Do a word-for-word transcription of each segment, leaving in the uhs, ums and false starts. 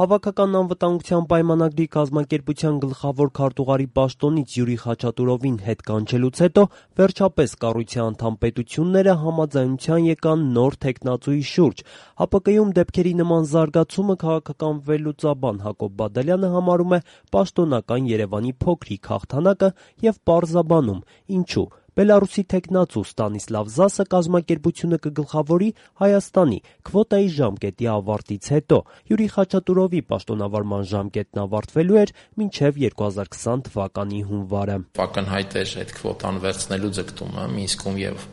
Հավաքական անվտանգության պայմանագրի կազմակերպության գլխավոր քարտուղարի պաշտոնից Յուրի Խաչատուրովին հետ կանչելուց հետո վերջապես կառույցի անդամ պետությունները համաձայնության եկան նոր թեկնածուի շուրջ։ ՀԱՊԿ-ում դեպքերի նման զարգացումը քաղաքական վերլուծաբան Հակոբ Բադալյանը համարում է պաշտոնական Երևանի փոքրիկ հաղթանակը և պարզաբանում՝ ինչու։ Բելառուսի թեկնածու Ստանիսլավ Զասը կազմակերպությունը կգլխավորի Հայաստանի քվոտայի ժամկետի ավարտից հետո։ Յուրի Խաչատուրովի պաշտոնավարման ժամկետն ավարտվելու էր մինչև երկու հազար քսան թվականի հունվարը։ Ակնհայտ էր այդ քվոտան վերցնելու ձգտումը Մինսկում և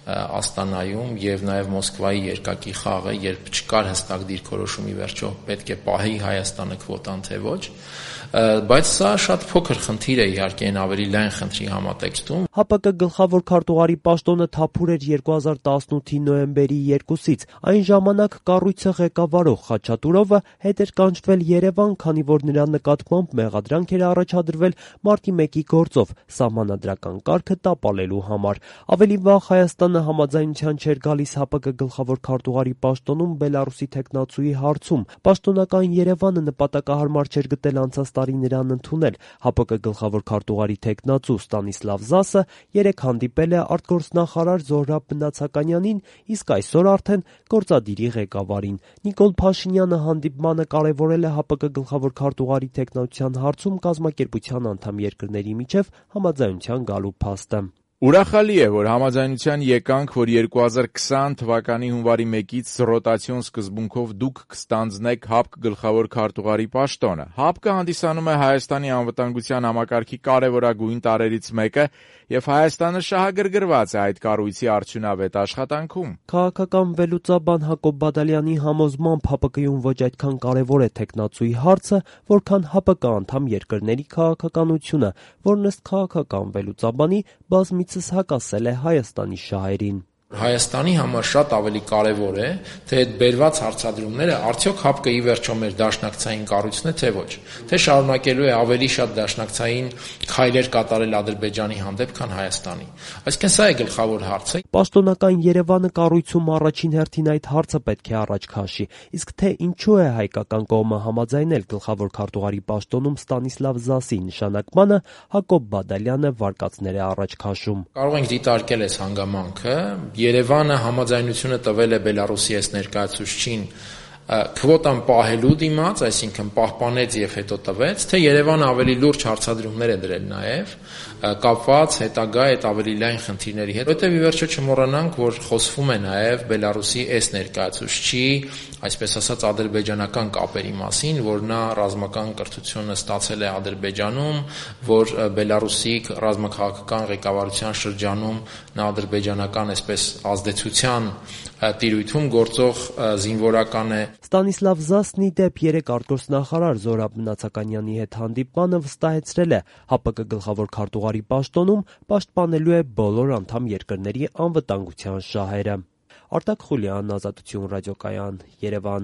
Աստանայում և նաև Մոսկվայի երկակի խաղը, երբ չկար հստակ դիրքորոշում ի վերջո պետք է պահի Հայաստանը քվոտան թե ոչ, բայց սա շատ փոքր խնդիր է իհարկե այն ավելի լայն խնդրի համատեքստում։ ՀԱՊԿ գլխավոր քարտուղարի պաշտոնը թափուր էր երկու հազար տասնութի նոյեմբերի երկուսից։ Այն ժամանակ կառույցը ղեկավարող Խաչատուրովը հետ էր կանչվել Երևան, քանի որ նրա նկատմամբ մեղադրանք էր առաջադրվել մարտի մեկի գործով սահմանադրական կարգը տապալելու համար։ Ավելի վաղ Հայաստանը համաձայնության չէր գալիս ՀԱՊԿ գլխավոր քարտուղարի պաշտոնում Բելառուսի թեկնածուի հարցում։ Պաշտոնական Երևանը նպատակահարմար չէր գտել անցած տարի նրան ընդունել։ ՀԱՊԿ գլխավոր քարտուղարի թեկնածու Ստանիսլավ Զասը երեկ հանդիպել է արտգործնախարար Զոհրաբ Մնացականյանին, իսկ այսօր արդեն գործադիրի ղեկավարին։ Նիկոլ Փաշինյանը հանդիպմանը կարևորել է ՀԱՊԿ գլխավոր քարտուղարի թեկնածության հարցում կազմակերպության անդամ երկրների միջև համաձայնության գալու փաստը։ Ուրախալի է, որ համաձայնության եկանք, որ երկու հազար քսան թվականի հունվարի մեկից ռոտացիոն սկզբունքով դուք կստանձնեք ՀԱՊԿ գլխավոր քարտուղարի պաշտոնը։ ՀԱՊԿ-ը հանդիսանում է Հայաստանի անվտանգության համակարգի կարևորագույն տարրերից մեկը և Հայաստանը շահագրգռված է այդ կառույցի արդյունավետ աշխատանքում։ Քաղաքական վերլուծաբան Հակոբ Բադալյանի համոզմամբ ՀԱՊԿ-ում ոչ այդքան կարևոր է թեկնածուի հարցը, որքան ՀԱՊԿ անդամ երկրների քաղաքականությունը, որն ըստ քաղաքական վերլուծաբանի բազմիցս հակասել է Հայաստանի շահերին։ Հայաստանի համար շատ ավելի կարևոր է, թե այդ բերված հարցադրումները արդյոք ՀԱՊԿ-ը ի վերջո մեր դաշնակցային կառույցն է, թե ոչ, թե շարունակելու է ավելի շատ դաշնակցային քայլեր կատարել Ադրբեջանի հանդեպ, քան Հայաստանի։ Այսինքն սա է գլխավոր հարցը։ Պաշտոնական Երևանը կառույցում առաջին հերթին այդ հարցը պետք է առաջ քաշի, իսկ թե ինչու է հայկական կողմը համաձայնել գլխավոր քարտուղարի պաշտոնում Ստանիսլավ Զասի նշանակմանը, Հակոբ Բադալյանը վարկածներ է առաջ քաշում։ Կարող ենք դիտարկել այս հանգամանքը։ Երևանը համաձայնությունը տվել է Բելառուսի այս ներկայացուցչին քվոտան պահելու դիմաց, այսինքն պահպանեց և հետո տվեց, թե Երևանը ավելի լուրջ հարցադրումներ է դրել նաև կապված հետագա այդ ավելի լայն խնդիրների հետ։ Որովհետև ի վերջո չմոռանանք, որ խոսվում է նաև Բելառուսի այս ներկայացուցչի, այսպես ասած, ադրբեջանական կապերի մասին, որ նա ռազմական կրթությունը ստացել է Ադրբեջանում, որ Բելառուսի ռազմաքաղաքական ղեկավարության շրջանում նա ադրբեջանական այսպես ազդեցության տիրույթում գործող զինվորական է։ Ստանիսլավ Զասն ի դեպ երեկ արտգործնախարար Զոհրաբ Մնացականյանի հետ հանդիպմանը վստահեցրել է ՀԱՊԿ գլխավոր քարտուղարի պաշտոնում պաշտպանելու է բոլոր անդամ երկրների անվտանգության շահերը։ Արտակ Խուլյան, Ազատություն ռադիոկայան, Երևան։